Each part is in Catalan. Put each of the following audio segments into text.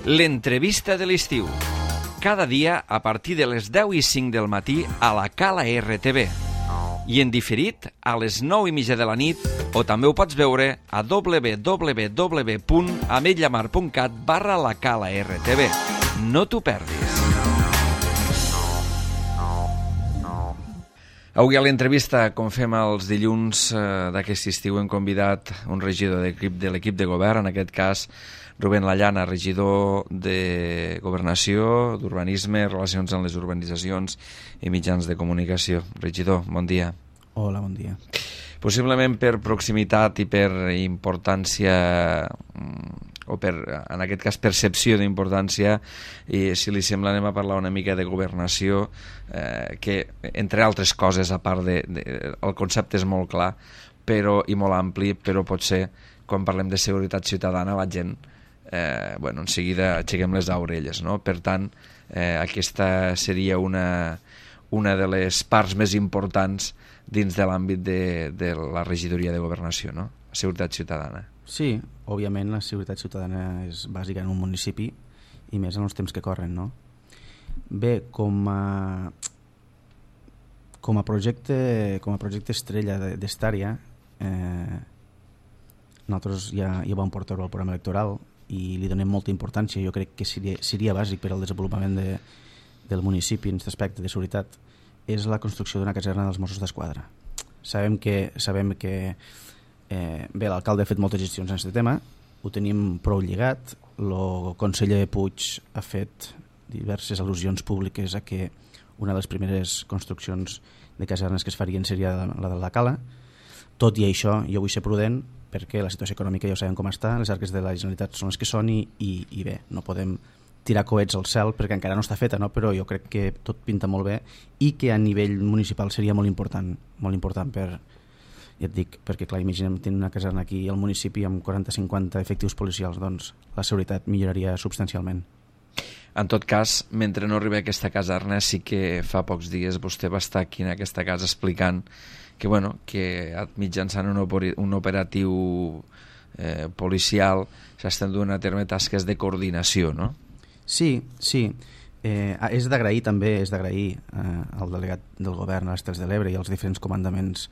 L'entrevista de l'estiu. Cada dia a partir de les 10:05 del matí a la Cala RTV. I en diferit a les 9:30 de la nit, o també ho pots veure a www.ametlllamar.cat/la Cala RTV. No t'ho perdis. Avui a l'entrevista, com fem els dilluns d'aquest estiu, hem convidat un regidor de l'equip de govern, en aquest cas Rubén Lallana, regidor de Governació, d'Urbanisme, Relacions amb les Urbanitzacions i Mitjans de Comunicació. Regidor, bon dia. Hola, bon dia. Possiblement per proximitat i per importància, o per, en aquest cas, percepció d'importància, i si li sembla anem a parlar una mica de governació, que, entre altres coses, a part el concepte és molt clar i molt ampli, però potser quan parlem de seguretat ciutadana la gent en seguida aixequem les orelles, no? Per tant, aquesta seria una de les parts més importants dins de l'àmbit de la regidoria de governació, no? La seguretat ciutadana. Sí, òbviament la seguretat ciutadana és bàsica en un municipi i més en els temps que corren, no? Bé, com a projecte estrella d'Estària, nosaltres ja vam portar-ho al programa electoral i li donem molta importància. Jo crec que seria bàsic per al desenvolupament del municipi en aquest aspecte de seguretat, és la construcció d'una caserna dels Mossos d'Esquadra. Sabem que l'alcalde ha fet moltes gestions en aquest tema, ho tenim prou lligat, el conseller Puig ha fet diverses al·lusions públiques a que una de les primeres construccions de casernes que es farien seria la de la Cala. Tot i això, jo vull ser prudent perquè la situació econòmica ja ho sabem com està, les arques de la Generalitat són les que són i bé, no podem tirar coets al cel perquè encara no està feta, no? Però jo crec que tot pinta molt bé i que a nivell municipal seria molt important ja et dic, perquè clar, imaginem tenir una caserna aquí al municipi amb 40-50 efectius policials, doncs la seguretat milloraria substancialment. En tot cas, mentre no arribi a aquesta caserna, sí que fa pocs dies vostè va estar aquí en aquesta casa explicant que mitjançant un operatiu policial s'estan duent a terme tasques de coordinació, no? Sí. És d'agrair també, al delegat del govern a les Terres de l'Ebre i als diferents comandaments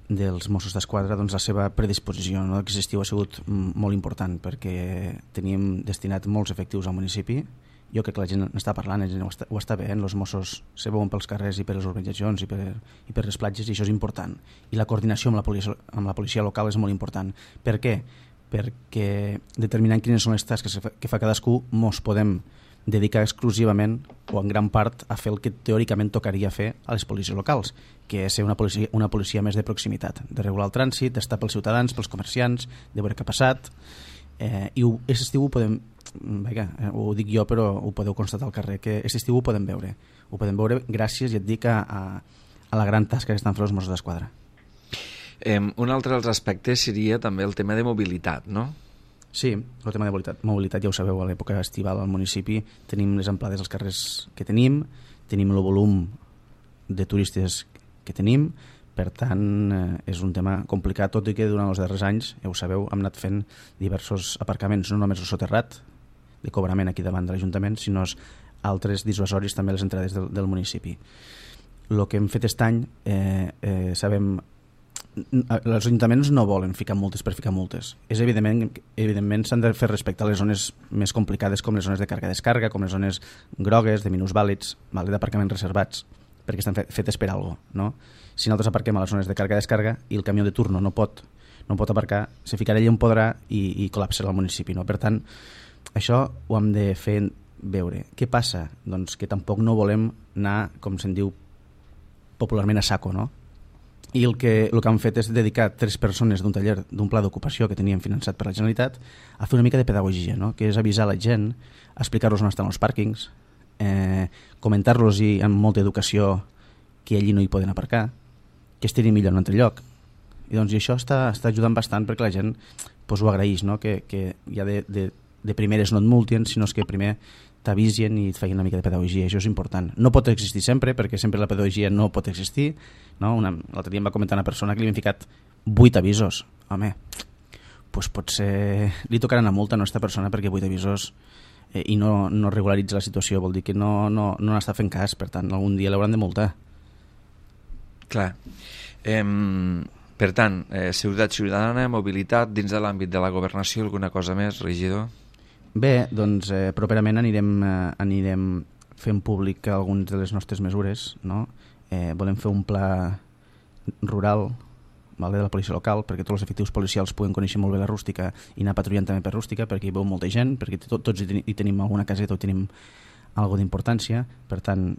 dels Mossos d'Esquadra la seva predisposició, no? Aquest estiu ha sigut molt important perquè teníem destinat molts efectius al municipi. Jo crec que la gent n'està parlant, la gent ho està veient, els Mossos se veuen pels carrers i per les urbanitzacions i per les platges, i això és important. I la coordinació amb la policia local és molt important. Per què? Perquè determinant quines són les tasques que fa cadascú mos podem dedicar exclusivament o en gran part a fer el que teòricament tocaria fer a les policies locals, que és ser una policia més de proximitat, de regular el trànsit, d'estar pels ciutadans, pels comerciants, de veure què ha passat, i aquest estiu ho podem, ho dic jo però ho podeu constatar al carrer, que aquest estiu ho podem veure gràcies, ja et dic, a la gran tasca que estan fent els Mossos d'Esquadra. Un altre dels aspectes seria també el tema de mobilitat, no? Sí, el tema de mobilitat ja ho sabeu, a l'època estival al municipi tenim les amplades als carrers que tenim el volum de turistes que tenim, per tant és un tema complicat, tot i que durant els darrers anys, ja ho sabeu, hem anat fent diversos aparcaments, no només el soterrat de cobrament aquí davant de l'Ajuntament, sinó altres dissuasoris també a les entrades del municipi. El que hem fet aquest any, sabem, els ajuntaments no volen ficar multes per ficar multes. És evidentment s'han de fer respecte a les zones més complicades, com les zones de càrrega-descàrrega, com les zones grogues, de minusvàlids, d'aparcaments reservats, perquè estan fetes per alguna cosa, no? Si nosaltres aparquem a les zones de càrrega-descàrrega i el camió de turno no pot aparcar, se ficarà allà on podrà i col·lapsarà el municipi, no? Per tant, això ho hem de fer veure. Què passa? Doncs que tampoc no volem anar, com se'n diu popularment, a saco, no? I el que han fet és dedicar 3 persones d'un taller, d'un pla d'ocupació que teníem finançat per la Generalitat, a fer una mica de pedagogia, no? Que és avisar la gent, explicar-los on estan els pàrquings, comentar-los amb molta educació que allí no hi poden aparcar, que estirin millor en un altre lloc. I doncs això està ajudant bastant perquè la gent ho agraeix, no? Que ja de primeres no et multien, sinó que primer t'avisen i et feien una mica de pedagogia. Això és important. No pot existir sempre, perquè sempre la pedagogia no pot existir, no? L'altre dia em va comentar una persona que li havien ficat 8 avisos. Home, pues potser li tocarà una multa a aquesta persona perquè 8 avisos i no regularitza la situació, vol dir que no n'està fent cas, per tant algun dia l'hauran de multar. Clar. Per tant, seguretat ciutadana, mobilitat, dins de l'àmbit de la governació, alguna cosa més, regidor? Bé, doncs properament anirem fent públic algunes de les nostres mesures, no? Volem fer un pla rural, vale, de la policia local, perquè tots els efectius policials puguen conèixer molt bé la rústica i anar patrullant també per rústica, perquè hi veu molta gent, perquè tots hi tenim alguna caseta o tenim alguna d'importància. Per tant,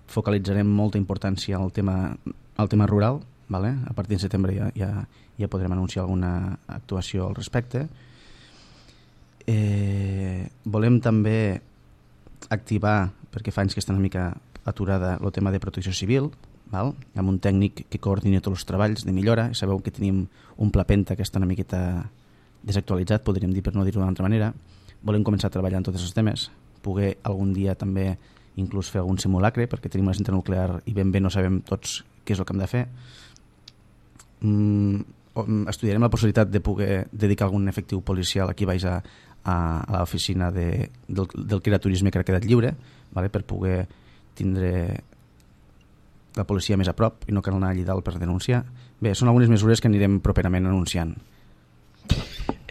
focalitzarem molta importància al tema rural, vale? A partir de setembre ja podrem anunciar alguna actuació al respecte. Volem també activar, perquè fa anys que està una mica aturada, el tema de protecció civil, val? Amb un tècnic que coordina tots els treballs de millora. Sabeu que tenim un pla Penta que està una miqueta desactualitzat, podríem dir, per no dir-ho d'una altra manera. Volem començar a treballar en tots els temes, poder algun dia també inclús fer algun simulacre, perquè tenim una cinta nuclear i ben bé no sabem tots què és el que hem de fer. Estudiarem la possibilitat de poder dedicar algun efectiu policial aquí baix a l'oficina del criaturisme que ha quedat lliure, vale? Per poder tindre la policia més a prop i no cal anar allà dalt per denunciar. Bé, són algunes mesures que anirem properament anunciant.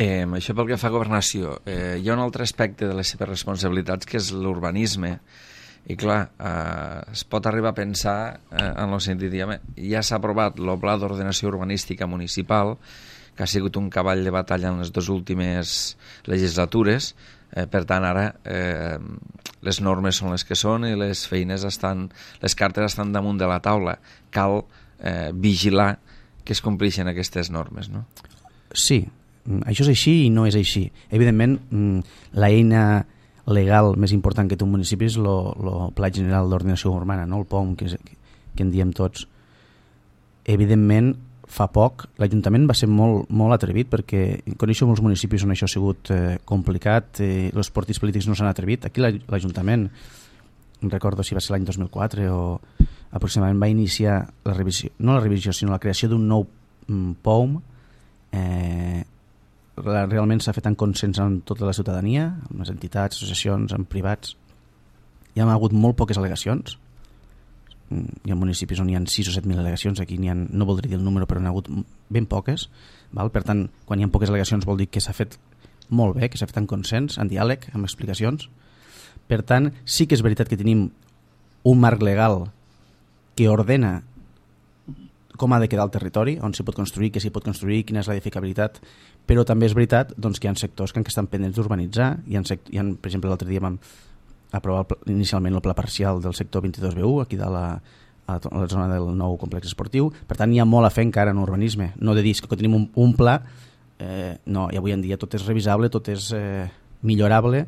Això pel que fa a governació. Hi ha un altre aspecte de les seves responsabilitats que és l'urbanisme. I clar, es pot arribar a pensar en el sentit de ja s'ha aprovat el pla d'ordenació urbanística municipal, que ha sigut un cavall de batalla en les dues últimes legislatures. Per tant, ara les normes són les que són i les cartes estan damunt de la taula. Cal vigilar que es compleixen aquestes normes, no? Sí, això és així i no és així. Evidentment, l'eina legal més important que té un municipi és el Pla General d'Ordenació Urbana, no? El POM, que en diem tots. Evidentment, fa poc l'Ajuntament va ser molt atrevit, perquè coneixo molts municipis on això ha sigut complicat, els partits polítics no s'han atrevit. Aquí l'Ajuntament, recordo si va ser l'any 2004 o aproximadament, va iniciar la revisió, no la revisió, sinó la creació d'un nou POM. Realment s'ha fet en consens amb tota la ciutadania, amb les entitats, associacions, amb privats. Hi ha hagut molt poques al·legacions. Hi ha municipis on hi ha 6 o 7.000 al·legacions, aquí no voldria dir el número, però n'hi ha hagut ben poques, val? Per tant, quan hi ha poques al·legacions vol dir que s'ha fet molt bé, que s'ha fet en consens, en diàleg, amb explicacions. Per tant, sí que és veritat que tenim un marc legal que ordena com ha de quedar el territori, on s'hi pot construir, què s'hi pot construir, quina és l'edificabilitat, però també és veritat doncs, que hi ha sectors que estan pendents d'urbanitzar. Per exemple, l'altre dia vam aprovar inicialment el pla parcial del sector 22B1, aquí dalt a la zona del nou complex esportiu. Per tant, hi ha molt a fer encara en urbanisme. No de dir que tenim un pla, no, i avui en dia tot és revisable, tot és millorable.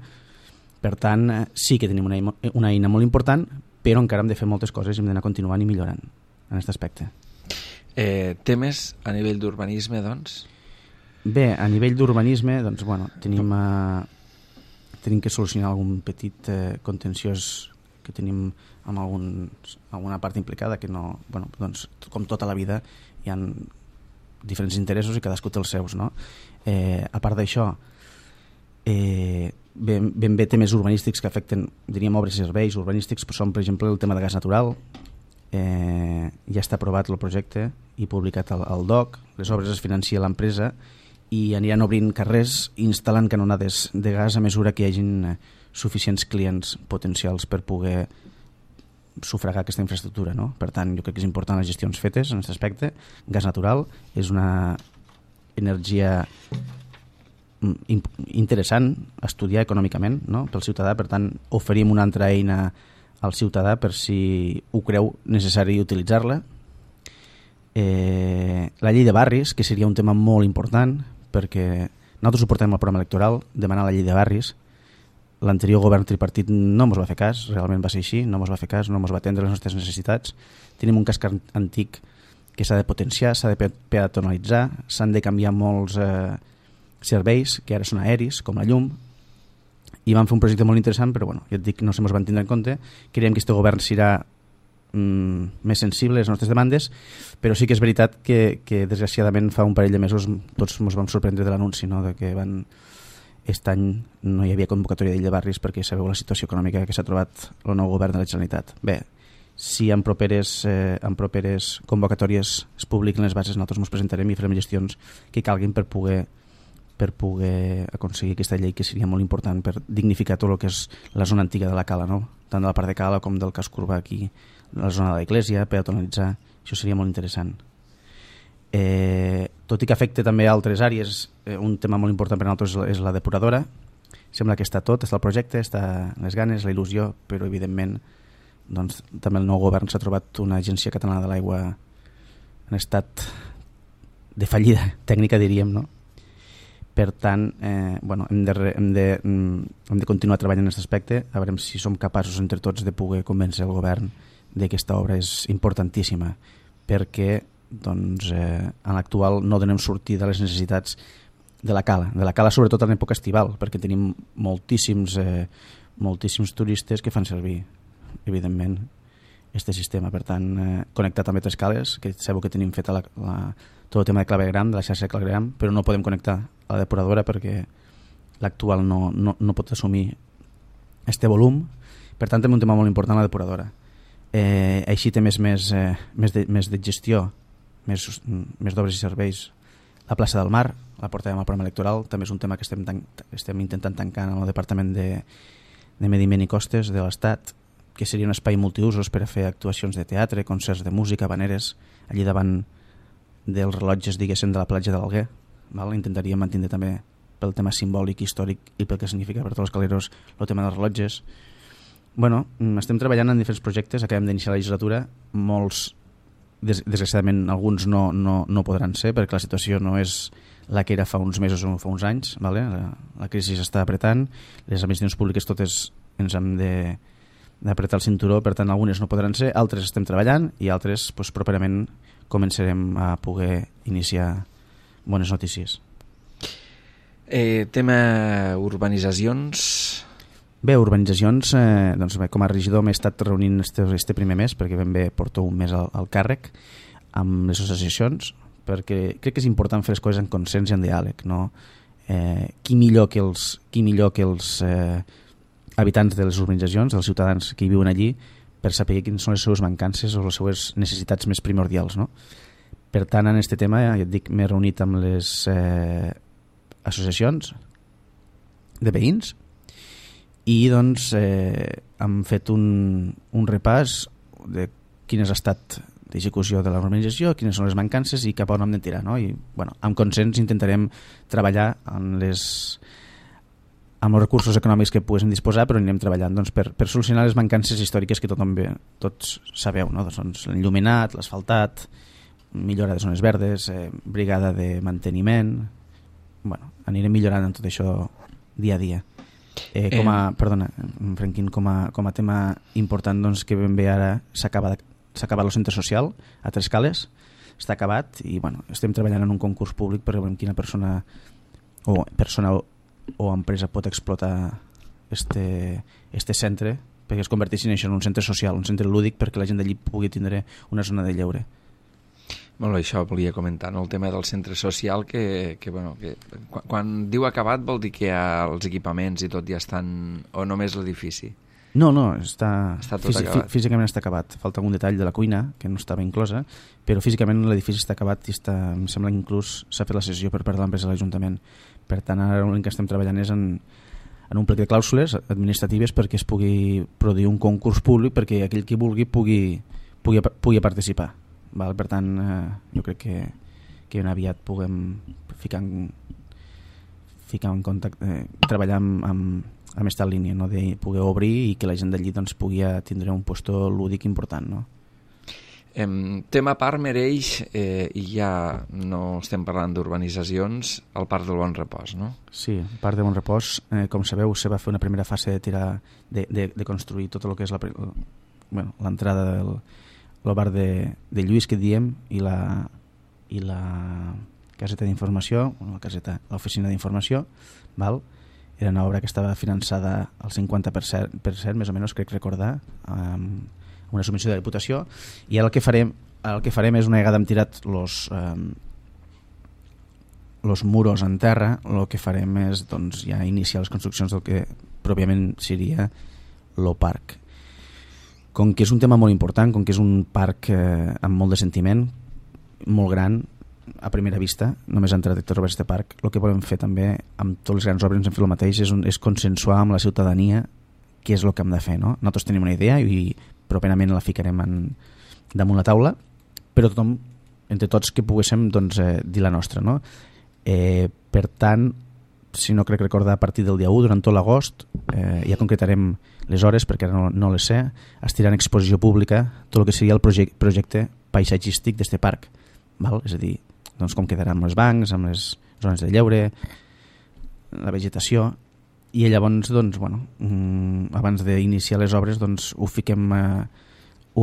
Per tant, sí que tenim una eina molt important, però encara hem de fer moltes coses i hem d'anar continuant i millorant en aquest aspecte. Temes a nivell d'urbanisme, doncs? Bé, a nivell d'urbanisme, doncs, bueno, tenim que solucionar algun petit contenciós que tenim amb alguna part implicada que no, bueno, doncs, com tota la vida hi ha diferents interessos i cadascú té els seus, no? A part d'això, ben bé temes urbanístics que afecten, diríem, obres i serveis urbanístics, però són, per exemple, el tema de gas natural. Ja està aprovat el projecte i publicat al DOC, les obres es financia l'empresa i aniran obrint carrers i instal·lant canonades de gas a mesura que hi hagin suficients clients potencials per poder sufragar aquesta infraestructura, no? Per tant, jo crec que és important les gestions fetes en aquest aspecte. Gas natural és una energia interessant estudiar econòmicament, no? Pel ciutadà. Per tant, oferim una altra eina al ciutadà per si ho creu necessari utilitzar-la. La llei de barris, que seria un tema molt important, perquè nosaltres ho portem al programa electoral, demanar la llei de barris. L'anterior govern tripartit no ens va fer cas, realment va ser així, no ens va fer cas, no ens va atendre les nostres necessitats. Tenim un casc antic que s'ha de potenciar, s'ha de peatonalitzar, s'han de canviar molts serveis que ara són aeris, com la llum, i vam fer un projecte molt interessant, però bueno, ja et dic, no se mos van tindre en compte. Creiem que aquest govern serà més sensible a les nostres demandes, però sí que és veritat que desgraciadament fa un parell de mesos tots ens vam sorprendre de l'anunci, no? De que aquest any no hi havia convocatòria de barris perquè sabeu la situació econòmica que s'ha trobat el nou govern de la Generalitat. Bé, si en properes convocatòries es publiquen les bases, nosaltres ens presentarem i farem gestions que calguin per poder aconseguir aquesta llei, que seria molt important per dignificar tot el que és la zona antiga de la Cala, no? Tant de la part de Cala com del casc urbà aquí, la zona de l'església, peatonalitzar, això seria molt interessant. Tot i que afecta també altres àrees, un tema molt important per a nosaltres és la depuradora. Sembla que està tot, està el projecte, està les ganes, la il·lusió, però evidentment doncs, també el nou govern s'ha trobat una agència catalana de l'aigua en estat de fallida tècnica, diríem, no? Per tant, hem de continuar treballant en aquest aspecte, a veure si som capaços entre tots de poder convèncer el govern de que aquesta obra és importantíssima, perquè doncs, en l'actual no donem sortida a les necessitats de la Cala sobretot en època estival, perquè tenim moltíssims turistes que fan servir, evidentment, aquest sistema. Per tant, connectar també 3 cales, que sabeu que tenim fet tot el tema de clavegram, de la xarxa de clavegram, però no podem connectar a la depuradora perquè l'actual no pot assumir este volum. Per tant, també un tema molt important, la depuradora. Així té més de gestió, més d'obres i serveis. La plaça del Mar, la portarem al programa electoral, també és un tema que estem intentant tancar en el Departament de Medi Ambient i Costes de l'Estat, que seria un espai multiusos per a fer actuacions de teatre, concerts de música, habaneres, allí davant dels rellotges, diguéssim, de la platja de l'Alguer. Intentaríem mantenir també pel tema simbòlic, històric i pel que significa per tots els caleros el tema dels rellotges. Estem treballant en diferents projectes, acabem d'iniciar la legislatura, molts, desgraciadament, alguns no podran ser perquè la situació no és la que era fa uns mesos o fa uns anys. La crisi s'està apretant, les administracions públiques totes ens hem d'apretar el cinturó, per tant algunes no podran ser, altres estem treballant i altres properament començarem a poder iniciar bones notícies. Tema urbanitzacions. Bé, urbanitzacions, com a regidor m'he estat reunint este primer mes, perquè ben bé porto un mes al càrrec amb les associacions, perquè crec que és important fer les coses en consens i en diàleg, no? Qui millor que els habitants de les urbanitzacions, els ciutadans que hi viuen allí, per saber quines són les seves mancances o les seves necessitats més primordials, no? Per tant, en aquest tema, ja et dic, m'he reunit amb les associacions de veïns i doncs hem fet un repàs de quin és l'estat d'execució de l'urbanització, quines són les mancances i cap a on hem de tirar, no? I, amb consens intentarem treballar amb els recursos econòmics que poguéssim disposar, però anirem treballant per solucionar les mancances històriques que tots sabeu, no? Doncs l'enllumenat, l'asfaltat, millora de zones verdes, brigada de manteniment. Anirem millorant en tot això dia a dia. Franquín, com a tema important, doncs, que ben bé ara s'ha acabat el centre social a 3 cales, està acabat i estem treballant en un concurs públic per veure quina persona o empresa pot explotar este centre perquè es converteixi en un centre social, un centre lúdic perquè la gent d'allí pugui tindre una zona de lleure. Molt bé, això volia comentar, no? El tema del centre social que quan diu acabat vol dir que els equipaments i tot ja estan, o només l'edifici? No, està tot acabat. Físicament està acabat. Falta algun detall de la cuina que no estava inclosa, però físicament l'edifici està acabat i em sembla que inclús s'ha fet la cessió per part de l'empresa de l'Ajuntament. Per tant, ara l'únic que estem treballant és en un plec de clàusules administratives perquè es pugui produir un concurs públic perquè aquell qui vulgui pugui participar. Per tant, jo crec que ben aviat puguem ficar en contacte, treballar amb aquesta línia, no? De poder obrir i que la gent d'allí doncs, pugui tindre un puesto lúdic important, no? Tema parc mereix, i ja no estem parlant d'urbanitzacions, el Parc del Bon Repòs, no? Sí, el Parc del Bon Repòs, com sabeu, se va fer una primera fase de construir tot el que és l'entrada del bar de Lluís, que diem, i la caseta d'informació, l'oficina d'informació, val? Era una obra que estava finançada al 50%, més o menys, crec recordar, amb una subvenció de la Diputació, i ara el que farem és, una vegada hem tirat los muros en terra, el que farem és doncs, ja iniciar les construccions del que pròpiament seria el parc. Com que és un tema molt important, com que és un parc amb molt de sentiment, molt gran, a primera vista, només entrar a trobar aquest parc, el que volem fer també amb totes les grans obres ens hem fet el mateix, és consensuar amb la ciutadania què és el que hem de fer, no? Nosaltres tenim una idea i properament la ficarem damunt la taula, però tothom, entre tots que poguéssim doncs, dir la nostra, no? Per tant, si no crec recordar, a partir del dia 1 durant tot l'agost ja concretarem les hores perquè ara no les sé, es tirarà en exposició pública tot el que seria el projecte paisatgístic d'este parc, val? És a dir, doncs, com quedarà amb els bancs, amb les zones de lleure, la vegetació, i llavors doncs, bueno, abans d'iniciar les obres doncs, ho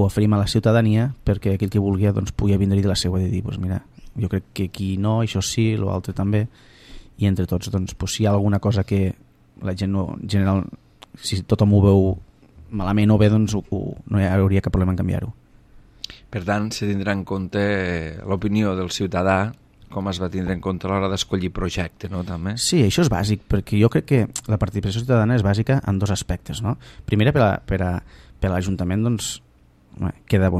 oferim a la ciutadania perquè aquell que vulgui doncs, pugui vindre de la seva i dir, doncs, mira, jo crec que aquí no, això sí, l'altre també, i entre tots doncs, si hi ha alguna cosa que la gent no, en general, si tothom ho veu malament o bé, doncs no hi hauria cap problema en canviar-ho. Per tant, se tindrà en compte l'opinió del ciutadà, com es va tindre en compte a l'hora d'escollir projecte, no, també? Sí, això és bàsic, perquè jo crec que la participació ciutadana és bàsica en dos aspectes, no? Primer, per a l'Ajuntament, doncs, queda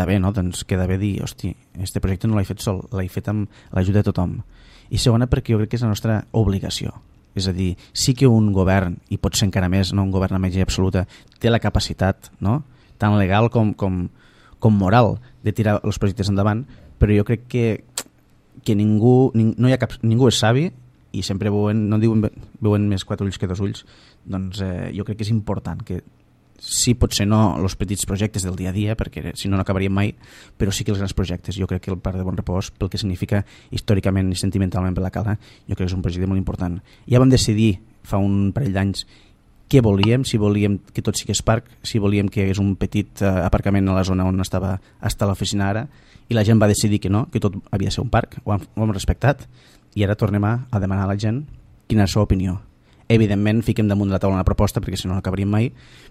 bé, no? Doncs queda bé dir, hosti, este projecte no l'he fet sol, l'he fet amb l'ajuda de tothom. I segona, perquè jo crec que és la nostra obligació. És a dir, sí que un govern, i pot ser encara més, no un govern amb majoria absoluta, té la capacitat, no? Tant legal com moral, de tirar els projectes endavant, però jo crec que ningú és savi, i sempre veuen més 4 ulls que 2 ulls, doncs jo crec que és important que sí, potser no els petits projectes del dia a dia, perquè si no acabaríem mai, però sí que els grans projectes. Jo crec que el Parc de Bon Repòs, pel que significa històricament i sentimentalment per la Cala, jo crec que és un projecte molt important. Ja vam decidir fa un parell d'anys què volíem, si volíem que tot sigués parc, si volíem que hi hagués un petit aparcament a la zona on estava hasta l'oficina ara, i la gent va decidir que no, que tot havia de ser un parc, ho hem respectat, i ara tornem a demanar a la gent quina és la seva opinió. Evidentment fiquem damunt de la taula una proposta, perquè si no acabaríem mai,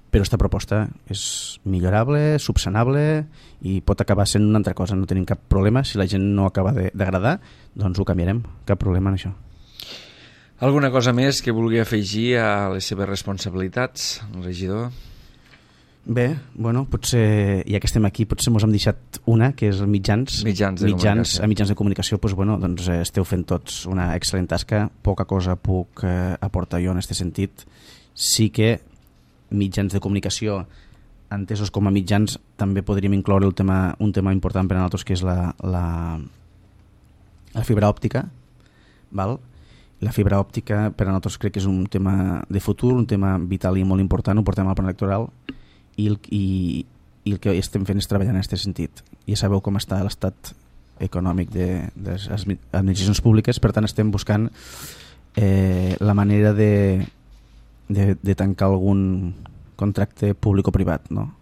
però aquesta proposta és millorable, subsanable i pot acabar sent una altra cosa, no tenim cap problema. Si la gent no acaba d'agradar, doncs ho canviarem, cap problema en això. Alguna cosa més que vulgui afegir a les seves responsabilitats, regidor? Bé, bueno, potser, ja que estem aquí, potser mos hem deixat una, que és mitjans de comunicació. Doncs, bueno, doncs esteu fent tots una excel·lent tasca, poca cosa puc aportar jo en aquest sentit. Sí que mitjans de comunicació, entesos com a mitjans, també podríem incloure un tema important per a nosaltres, que és la fibra òptica, val? La fibra òptica per a nosaltres crec que és un tema de futur, un tema vital i molt important, ho portem al plan electoral, i el que estem fent és treballar en aquest sentit. Ja sabeu com està l'estat econòmic de les administracions públiques, per tant estem buscant la manera de tancar algun contracte públic o privat, no?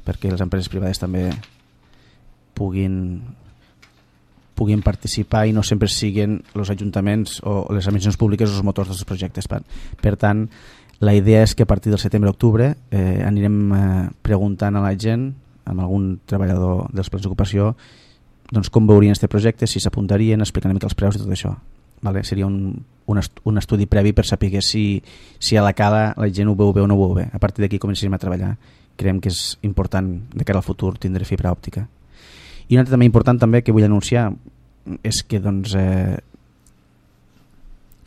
Perquè les empreses privades també puguin participar i no sempre siguin els ajuntaments o les administracions públiques els motors dels projectes. Per tant, la idea és que a partir del setembre-octubre anirem preguntant a la gent, amb algun treballador dels plans d'ocupació, doncs com veurien aquest projecte, si s'apuntarien, explicant una mica els preus i tot això. Vale? Seria un estudi previ per saber si a la Cala la gent ho veu bé o no ho veu bé. A partir d'aquí començarem a treballar. Creiem que és important de cara al futur tindre fibra òptica. I un altre també important també que vull anunciar és que doncs,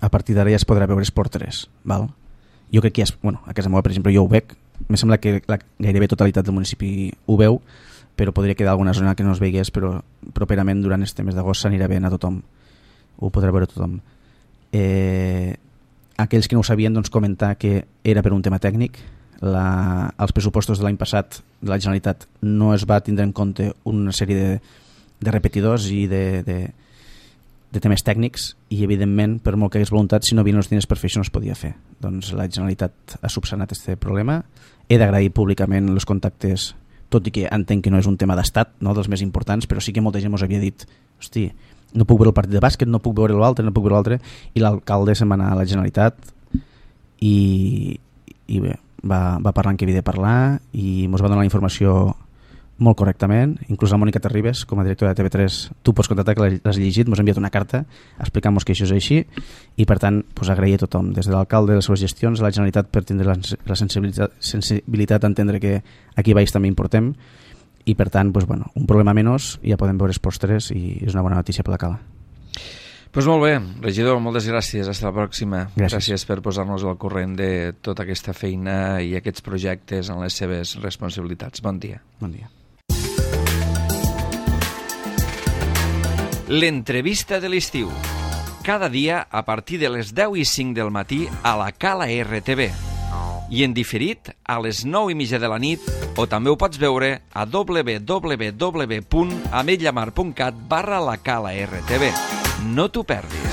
a partir d'ara ja es podrà veure Esport 3. Val? Jo crec que a casa meva, per exemple, jo ho veig. Em sembla que la gairebé totalitat del municipi ho veu, però podria quedar alguna zona que no es veigués, però properament durant este mes d'agost s'anirà veient a tothom. Ho podrà veure tothom. Aquells que no ho sabien, doncs, comentar que era per un tema tècnic. Els pressupostos de l'any passat de la Generalitat no es va tindre en compte una sèrie de repetidors i de temes tècnics, i evidentment per molt que hagués voluntat, si no havien els diners per fer això no es podia fer. Doncs la Generalitat ha subsanat aquest problema. He d'agrair públicament els contactes, tot i que entenc que no és un tema d'estat, no, dels més importants, però sí que molta gent ens havia dit, hosti, no puc veure el partit de bàsquet, no puc veure l'altre, i l'alcalde se'n va anar a la Generalitat i bé, va parlar en què havia de parlar i ens va donar la informació molt correctament, inclús la Mònica Terribas, com a directora de TV3, tu pots contactar que l'has llegit, ens ha enviat una carta explicant-nos que això és així, i per tant agrair a tothom, des de l'alcalde de les seves gestions, a la Generalitat per tindre la sensibilitat d'entendre que aquí baix també importem, i per tant, un problema menys, ja podem veure els postres i és una bona notícia per la Cala. Doncs molt bé, regidor, moltes gràcies. Hasta la pròxima. Gràcies per posar-nos al corrent de tota aquesta feina i aquests projectes en les seves responsabilitats. Bon dia. Bon dia. L'entrevista de l'estiu. Cada dia a partir de les 10:05 del matí a la Cala RTV. I en diferit a les 9:30 de la nit, o també ho pots veure a www.ametlllamar.cat/la Cala RTV. No t'ho perdis.